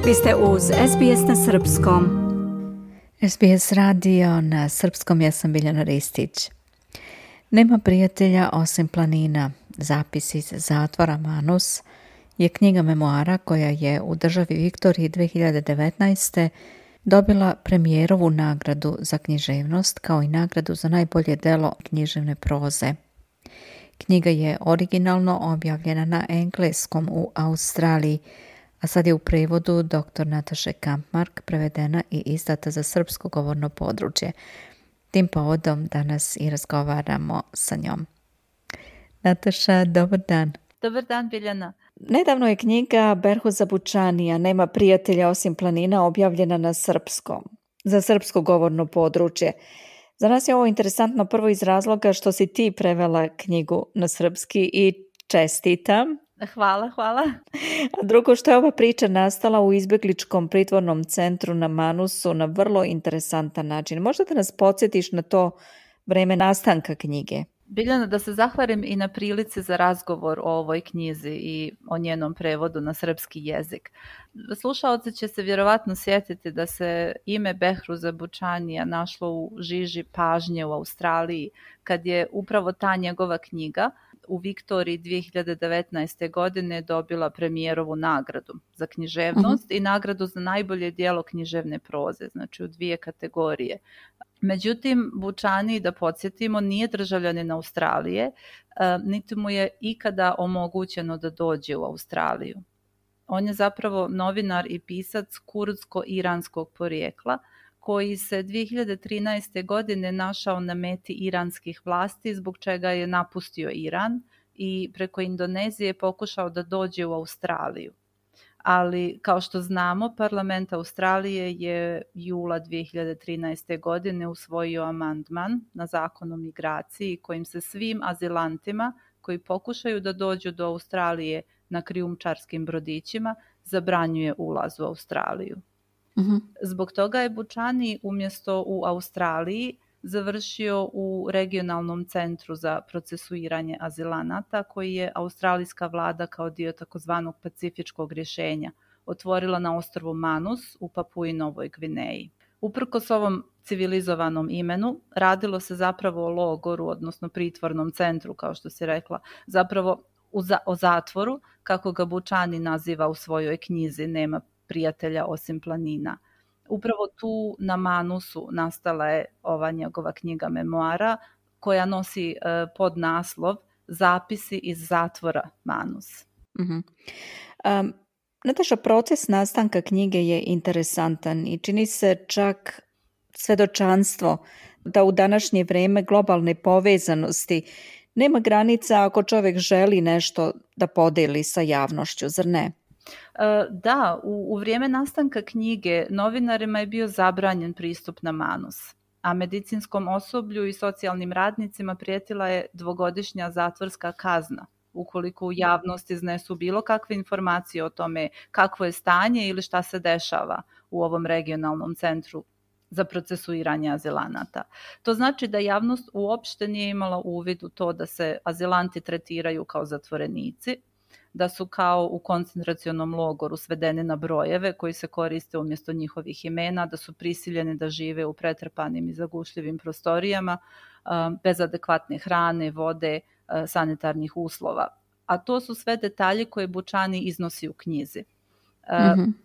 Vi ste uz SBS na srpskom. SBS radio na srpskom, ja sam Biljana Ristić. Nema prijatelja osim planina. Zapis iz zatvora Manus je knjiga memoara koja je u državi Viktoriji 2019. dobila premijerovu nagradu za književnost kao i nagradu za najbolje delo književne proze. Knjiga je originalno objavljena na engleskom u Australiji, a sad je u prevodu dr. Nataše Kampmark prevedena i izdata za srpsko govorno područje. Tim povodom danas i razgovaramo sa njom. Nataša, dobar dan. Dobar dan, Biljana. Nedavno je knjiga Berhuza Bučanija Nema prijatelja osim planina objavljena na srpskom, za srpsko govorno područje. Za nas je ovo interesantno prvo iz razloga što si ti prevela knjigu na srpski i čestitam. Hvala. A drugo, što je ova priča nastala u izbjegličkom pritvornom centru na Manusu na vrlo interesantan način. Možda da nas podsjetiš na to vreme nastanka knjige? Biljana, da se zahvalim i na prilici za razgovor o ovoj knjizi i o njenom prevodu na srpski jezik. Slušaoci će se vjerovatno sjetiti da se ime Behruza Bučanija našlo u žiži pažnje u Australiji kad je upravo ta njegova knjiga u Viktoriji 2019. godine dobila premijerovu nagradu za književnost i nagradu za najbolje djelo književne proze, znači u 2 kategorije. Međutim, Bučani, da podsjetimo, nije državljanin Australije, niti mu je ikada omogućeno da dođe u Australiju. On je zapravo novinar i pisac kurdsko-iranskog porijekla, koji se 2013. godine našao na meti iranskih vlasti, zbog čega je napustio Iran i preko Indonezije pokušao da dođe u Australiju. Ali, kao što znamo, parlament Australije je jula 2013. godine usvojio amandman na zakon o migraciji kojim se svim azilantima koji pokušaju da dođu do Australije na krijumčarskim brodićima zabranjuje ulaz u Australiju. Zbog toga je Bučani umjesto u Australiji završio u regionalnom centru za procesuiranje azilanata koji je australijska vlada kao dio takozvanog pacifičkog rješenja otvorila na ostrvu Manus u Papui Novoj Gvineji. Uprkos ovom civilizovanom imenu, radilo se zapravo o logoru, odnosno pritvornom centru, kao što si rekla, zapravo o zatvoru, kako ga Bučani naziva u svojoj knjizi Nema prijatelja osim planina. Upravo tu na Manusu nastala je ova njegova knjiga memoara koja nosi podnaslov Zapisi iz zatvora Manus. Nataša, proces nastanka knjige je interesantan i čini se čak svjedočanstvo da u današnje vrijeme globalne povezanosti nema granica ako čovjek želi nešto da podeli sa javnošću, zar ne? Da, u vrijeme nastanka knjige novinarima je bio zabranjen pristup na Manus, a medicinskom osoblju i socijalnim radnicima prijetila je 2-godišnja zatvorska kazna ukoliko u javnost iznesu bilo kakve informacije o tome kakvo je stanje ili šta se dešava u ovom regionalnom centru za procesuiranje azilanata. To znači da javnost uopšte nije imala uvid u to da se azilanti tretiraju kao zatvorenici, da su kao u koncentracionom logoru svedeni na brojeve koji se koriste umjesto njihovih imena, da su prisiljeni da žive u pretrpanim i zagušljivim prostorijama, bez adekvatne hrane, vode, sanitarnih uslova. A to su sve detalji koje Bučani iznosi u knjizi.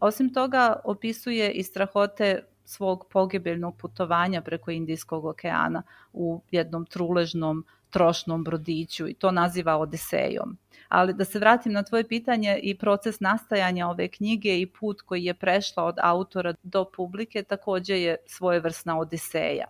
Osim toga, opisuje i strahote svog pogibeljnog putovanja preko Indijskog okeana u jednom truležnom, trošnom brodiću i to naziva Odisejom. Ali da se vratim na tvoje pitanje, i proces nastajanja ove knjige i put koji je prešla od autora do publike također je svojevrsna Odiseja.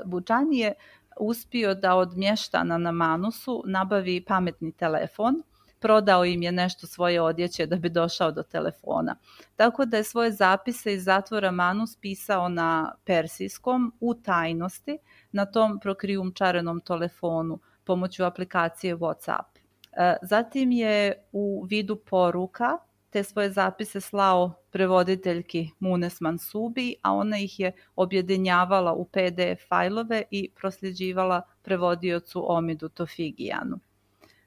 Bučani je uspio da od mještana na Manusu nabavi pametni telefon, prodao im je nešto svoje odjeće da bi došao do telefona. Tako da je svoje zapise iz zatvora Manus pisao na persijskom u tajnosti na tom prokrijumčarenom telefonu pomoću aplikacije WhatsApp. Zatim je u vidu poruka te svoje zapise slao prevoditeljki Munes Mansubi, a ona ih je objedinjavala u PDF fajlove i prosljeđivala prevodiocu Omidu Tofigijanu.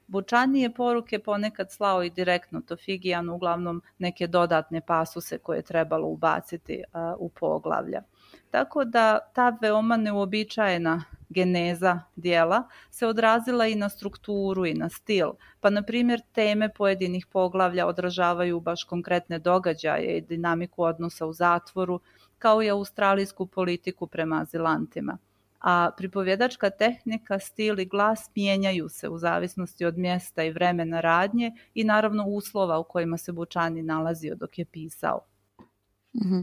Bučani je poruke ponekad slao i direktno Tofigijanu, uglavnom neke dodatne pasuse koje je trebalo ubaciti u poglavlja. Tako da ta veoma neuobičajena geneza dijela se odrazila i na strukturu i na stil. Pa na primjer teme pojedinih poglavlja odražavaju baš konkretne događaje i dinamiku odnosa u zatvoru, kao i australijsku politiku prema azilantima. A pripovjedačka tehnika, stil i glas mijenjaju se u zavisnosti od mjesta i vremena radnje i naravno uslova u kojima se Bučani nalazio dok je pisao. Mhm.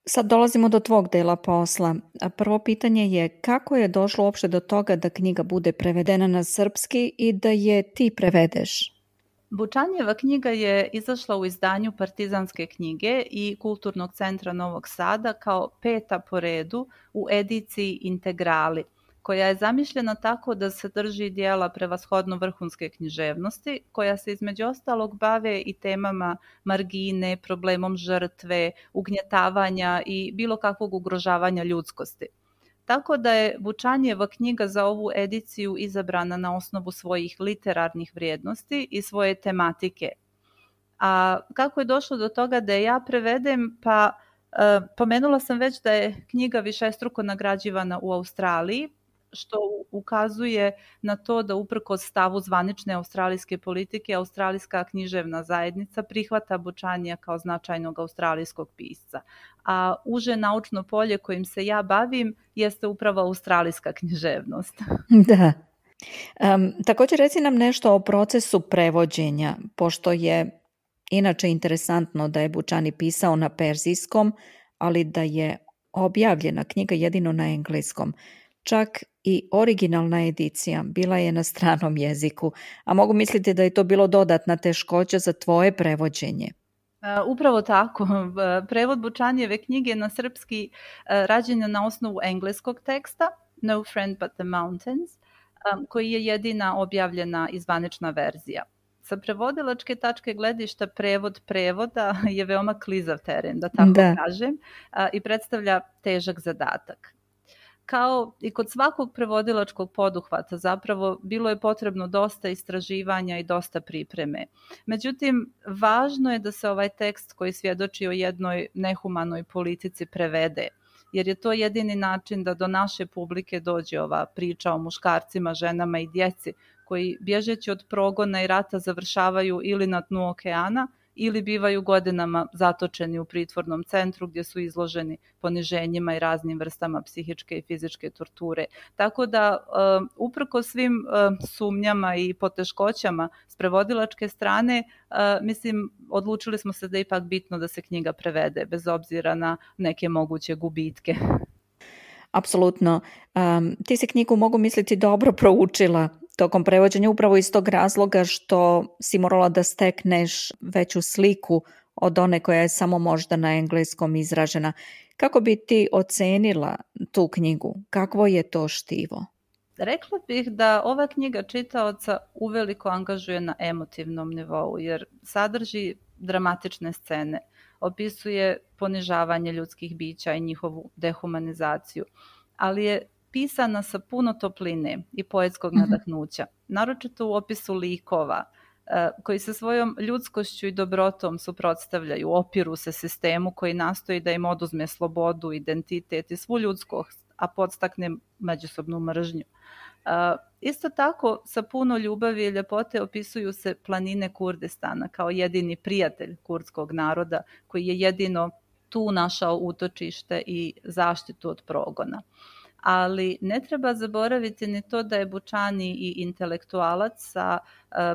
Sad dolazimo do tvog dela posla. Prvo pitanje je kako je došlo uopšte do toga da knjiga bude prevedena na srpski i da je ti prevedeš? Bučanjeva knjiga je izašla u izdanju Partizanske knjige i Kulturnog centra Novog Sada kao 5. po redu u ediciji Integrali, koja je zamišljena tako da sadrži dijela prevashodno vrhunske književnosti, koja se između ostalog bave i temama margine, problemom žrtve, ugnjetavanja i bilo kakvog ugrožavanja ljudskosti. Tako da je Bučanjeva knjiga za ovu ediciju izabrana na osnovu svojih literarnih vrijednosti i svoje tematike. A kako je došlo do toga da je ja prevedem? Pa pomenula sam već da je knjiga višestruko nagrađivana u Australiji, što ukazuje na to da uprkos stavu zvanične australijske politike, australijska književna zajednica prihvata Bučanija kao značajnog australijskog pisca. A uže naučno polje kojim se ja bavim jeste upravo australijska književnost. Da. Također reci nam nešto o procesu prevođenja, pošto je inače interesantno da je Bučani pisao na perzijskom, ali da je objavljena knjiga jedino na engleskom. Čak i originalna edicija bila je na stranom jeziku, a mogu misliti da je to bilo dodatna teškoća za tvoje prevođenje. Upravo tako. Prevod Bučanijeve knjige na srpski rađen je na osnovu engleskog teksta No Friend But the Mountains, koji je jedina objavljena i zvanična verzija. Sa prevodilačke tačke gledišta prevod prevoda je veoma klizav teren, da tako kažem, i predstavlja težak zadatak. Kao i kod svakog prevodilačkog poduhvata zapravo bilo je potrebno dosta istraživanja i dosta pripreme. Međutim, važno je da se ovaj tekst koji svjedoči o jednoj nehumanoj politici prevede, jer je to jedini način da do naše publike dođe ova priča o muškarcima, ženama i djeci koji bježeći od progona i rata završavaju ili na dnu okeana ili bivaju godinama zatočeni u pritvornom centru gdje su izloženi poniženjima i raznim vrstama psihičke i fizičke torture. Tako da uprkos svim sumnjama i poteškoćama s prevodilačke strane, mislim, odlučili smo se da je ipak bitno da se knjiga prevede bez obzira na neke moguće gubitke. Apsolutno. Ti si knjigu, mogu misliti, dobro proučila tokom prevođenja upravo iz tog razloga što si morala da stekneš veću sliku od one koja je samo možda na engleskom izražena. Kako bi ti ocenila tu knjigu? Kakvo je to štivo? Rekla bih da ova knjiga čitaoca uveliko angažuje na emotivnom nivou, jer sadrži dramatične scene, opisuje ponižavanje ljudskih bića i njihovu dehumanizaciju, ali je pisana sa puno topline i poetskog nadahnuća, naročito u opisu likova, koji se svojom ljudskošću i dobrotom suprotstavljaju, opiru se sistemu koji nastoji da im oduzme slobodu, identitet i svu ljudskost, a podstakne međusobnu mržnju. Isto tako, sa puno ljubavi i ljepote opisuju se planine Kurdistana kao jedini prijatelj kurdskog naroda koji je jedino tu našao utočište i zaštitu od progona. Ali ne treba zaboraviti ni to da je Bučani i intelektualac sa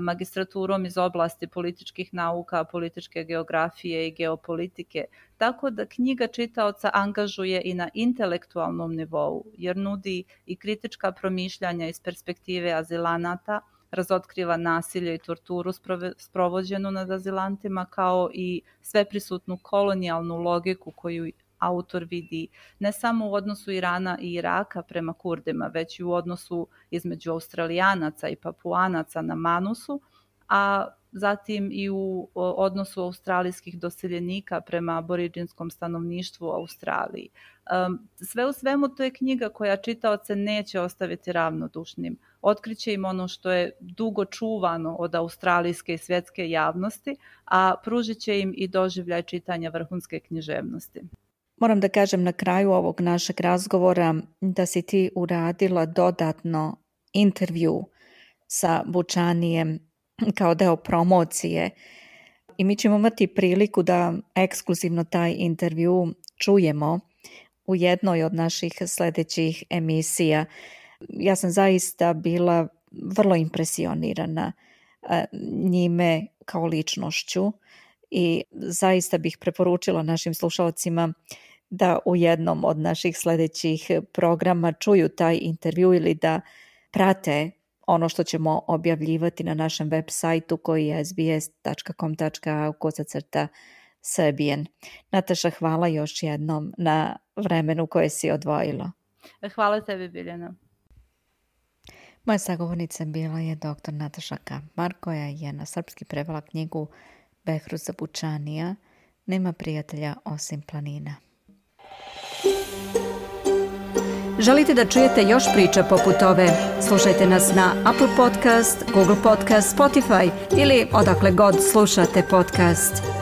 magistraturom iz oblasti političkih nauka, političke geografije i geopolitike, tako da knjiga čitaoca angažuje i na intelektualnom nivou, jer nudi i kritička promišljanja iz perspektive azilanata, razotkriva nasilje i torturu sprovođenu nad azilantima, kao i sveprisutnu kolonijalnu logiku koju autor vidi ne samo u odnosu Irana i Iraka prema Kurdima, već i u odnosu između Australijanaca i Papuanaca na Manusu, a zatim i u odnosu australijskih doseljenika prema aboriđinskom stanovništvu u Australiji. Sve u svemu to je knjiga koja čitaoce neće ostaviti ravnodušnim. Otkriće im ono što je dugo čuvano od australijske i svjetske javnosti, a pružit će im i doživljaj čitanja vrhunske književnosti. Moram da kažem na kraju ovog našeg razgovora da si ti uradila dodatno intervju sa Bučanijem kao deo promocije i mi ćemo imati priliku da ekskluzivno taj intervju čujemo u jednoj od naših sljedećih emisija. Ja sam zaista bila vrlo impresionirana njime kao ličnošću i zaista bih preporučila našim slušalcima da u jednom od naših sljedećih programa čuju taj intervju ili da prate ono što ćemo objavljivati na našem web sajtu koji je sbs.com.au/Serbian. Nataša, hvala još jednom na vremenu koje si odvojila. Hvala tebi, Biljana. Moja sagovornica bila je dr. Nataša Kampmar, koja je na srpski prevela knjigu Behruza Bučanija Nema prijatelja osim planina. Želite da čujete još priča poput ove? Slušajte nas na Apple Podcast, Google Podcast, Spotify ili odakle god slušate podcast.